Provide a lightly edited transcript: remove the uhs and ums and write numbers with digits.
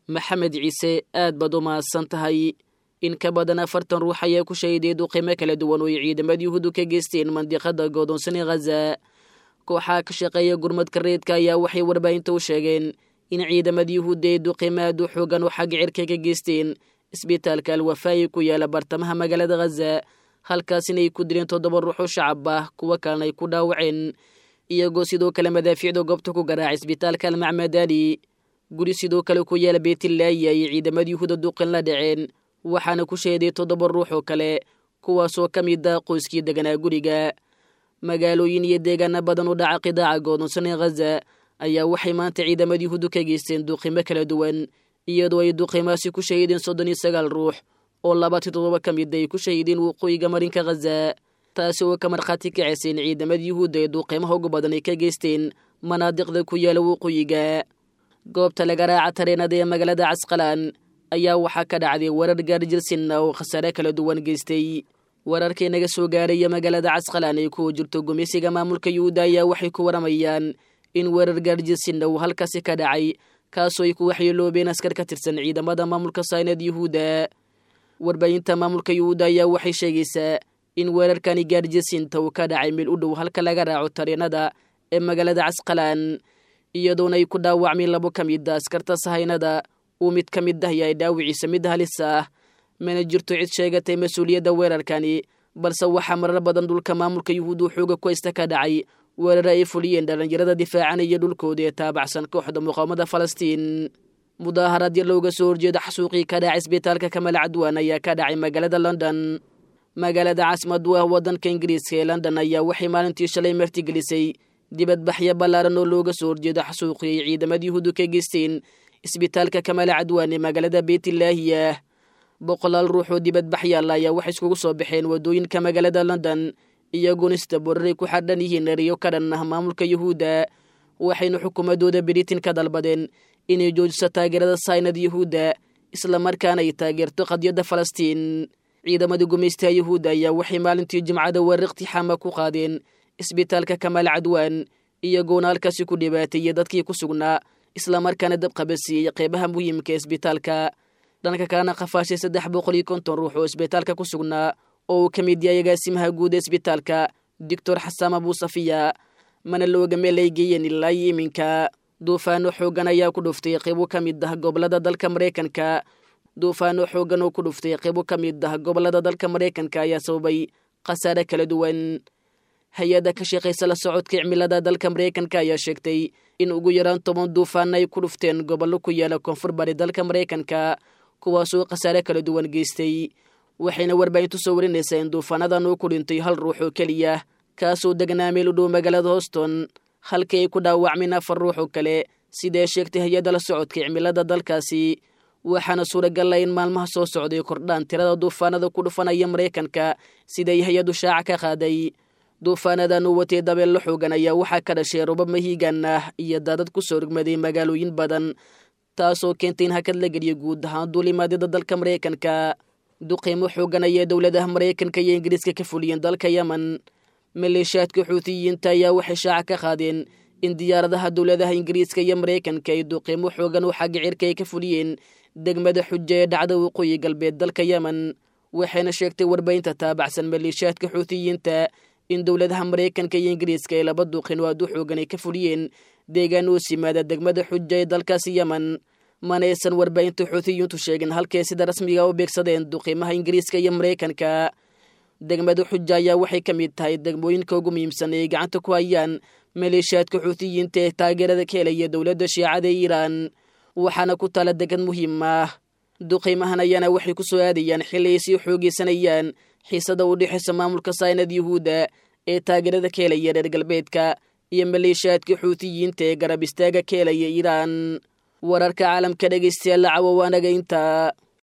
Maxamed Ciise, aad baad u mahadsan tahay. In ka badan 40 ruux ayaa ku shahiday duqeymo kala duwan oo ay ciidamada Yuhuuddu ka geysteen mandiqada goodoonsan ee Khaza. Kooxaha ka shaqeeya gurmadka reedka ayaa waxay warbaahinta u sheegeen in ciidamada Yuhuudda ay duqeymo aad u xoogan oo xagga cirka ka geysteen isbitaalka Alwafaayi ku yaala bartamaha magaalada Khaza, halkaasina ay ku dileen 7 ruux oo shacab ah, kuwo kalena ay ku dhaawaceen, iyagoo sidoo kale madaafiicda goobta ku garaacay isbitaalka Almacmadani. Guri sidoo kale ku yaala Beytlaayi ayay ciidamada Yuhuudda duqin la dhaceen, waxaana ku shahiday 7 ruux oo kale, kuwaasoo ka mid ah qoyskii deganaa guriga. Magaalooyin iyo deegaano badan u dhaca qidaaca goodonsan ee Khaza ayaa waxay maanta ciidamada Yuhuuddu ka geysteen duqimo kala duwan, iyadoo ay duqimaasi ku shahideen 39 ruux oo 27 ka mid ay ku shahideen waqooyiga marinka Khaza, taasi oo ka markhaati kacaysay in ciidamada Yuhuudda ee duqimaha ugu badan ay ka geysteen manaadiqda ku yaala waqooyiga. Goobta laga raaca tareenada ee magaalada Casqalaan ayaa waxaa ka dhacday warar gaarjirsinna oo khasaare kala duwan geystay. Wararkii naga soo gaaraya magaalada Casqalaan ay ku jirto gumeysiga maamulka Yuhuudda ayaa waxay ku waramayaan in weerar gaarjirsinna uu halkaasi ka dhacay, kaasoo ay ku waxyeeloobeen askar ka tirsan ciidamada maamulka saynad Yuhuudda. Warbaahinta maamulka Yuhuudda ayaa waxay sheegaysaa in weerarkani gaarjirsinta uu ka dhacay meel u dhow halka laga raaco tareenada ee magaalada Casqalaan, iyadoona ay ku dhaawacmeen 2 ka mid a askarta sahaynada, uu mid ka mid ah yahay dhaawiciisa mid halis ah. Mana jirto cid sheegatay mas-uuliyadda weerarkani, balse waxaa marar badan dhulka maamulka Yuhuuddu xooga ku haysta ka dhacay weerare ay fuliyeen dhallinyarada difaacanaya dhulkooda ee taabacsan kooxda muqaawamada Falastiin. Mudaaharaad yar looga soo horjeeda xasuuqii ka dhacay isbitaalka Kamal Cadwaan ayaa ka dhacay magaalada London. Magaalada caasimadu ah waddanka Ingiriiska ee London ayaa waxay maalintii shalay martigelisay dibadbaxyo ballaaran oo looga soo horjeeda xasuuqii ay ciidamada Yuhuuddu ka geysteen isbitaalka Kamal Cadwaan ee magaalada Beytlaahiyah. Boqolaal ruux oo dibadbaxyaal ayaa waxay iskugu soo baxeen waddooyinka magaalada London, iyagoona istaboraray ku xadhan yihiin eriyo ka dhan ah maamulka Yuhuudda, waxayna xukuumadooda Britain ka dalbadeen inay joojiso taageerada saynad Yuhuudda, islamarkaana ay taageerto qadiyadda Falastiin. Ciidamada gumaystaha Yuhuudda ayaa waxay maalintii Jimcada weerar iqtixaama ku qaadeen isbitaalka Kamaal Cadwaan, iyagoona halkaasi ku dhibaateeyey dadkii ku sugnaa, islamarkaana dab qabasiiyey qeybaha muhiimka ee isbitaalka. Dhanka kalena qafaashay 350 ruux oo isbitaalka ku sugnaa oo uu ka mid yahay agaasimaha guud ee isbitaalka Doctor Xasaan Abuusafiya, mana looga meel ay geeyeen ilaa iyo iminka. Duufaano xooggan ayaa ku dhuftay qeybo ka mid ah gobolada dalka Mareykanka. Duufaano xooggan oo ku dhuftay qeybo ka mid ah gobolada dalka Mareykanka ayaa sababay khasaare kala duwan. Hay-adda ka shaqaysa la socodka cimilada dalka Mareykanka ayaa sheegtay in ugu yaraan 10 duufaan ay ku dhufteen gobollo ku yaala koonfur bari dalka Mareykanka, kuwaasoo khasaare kala duwan geystay. Waxayna warbaahintu soo warinaysaa in duufaanadan uu ku dhintay 1 ruux oo keliya, kaasoo degnaa meel u dhow magaalada Houston, halkii ay ku dhaawacmeen 4 ruux oo kale, sidae sheegtay hay-adda la socodka cimilada dalkaasi. Waxaana suuragal ah in maalmaha soo socday kordhaan tirada duufaanada ku dhufanaya Mareykanka, siday hay-addu shaaca ka qaaday. Duufaanadan uu watay dabeello xoogan ayaa waxaa ka dhashay robab mahiigan ah iyo daadad ku soo rogmaday magaalooyin badan, taasoo keentay in hakad la geliyo guud ahaan duulimaadyada dalka Mareykanka. Duqeymo xoogan ayaa dowladaha Mareykanka iyo Ingiriiska ka fuliyeen dalka Yemen. Maleeshiyaadka Xuutiyiinta ayaa waxay shaaca ka qaadeen in diyaaradaha dowladaha Ingiriiska iyo Mareykanka ay duqeymo xoogan oo xagga cirka ay ka fuliyeen degmada Xuja ee dhacda waqooyi galbeed dalka Yemen. Waxayna sheegtay warbaahinta taabacsan maleeshiyaadka Xuutiyiinta in dowladaha Mareykanka iyo Ingiriiska ay 2 duqin oo aad u xoogan ay ka fuliyeen deegaan oo simaada degmada Xuja ee dalkaasi Yemen. Mana aysan warbaahinta Xuutiyiintu sheegin halkay sida rasmiga u beegsadeen duqiimaha Ingiriiska iyo Mareykanka. Degmada Xuja ayaa waxay ka mid tahay degmooyinka ugu muhiimsan ee gacanta ku hayaan maleeshiyaadka Xuutiyiinta ee taageerada ka helaya dowladda Shiicada ee Iiraan, waxaana ku taala degan muhiim ah. Duqiimahan ayaana waxay ku soo aadayaan xilli ay sii xoogeysanayaan xiisada u dhexaysa maamulka saynad Yuhuudda ee taageerada ka helaya reer galbeedka iyo maleeshiyaadka Xuutiyiinta ee garab istaaga ka helaya Iiraan. Wararka caalamka dhegeystayaal, cawa waanaga intaa.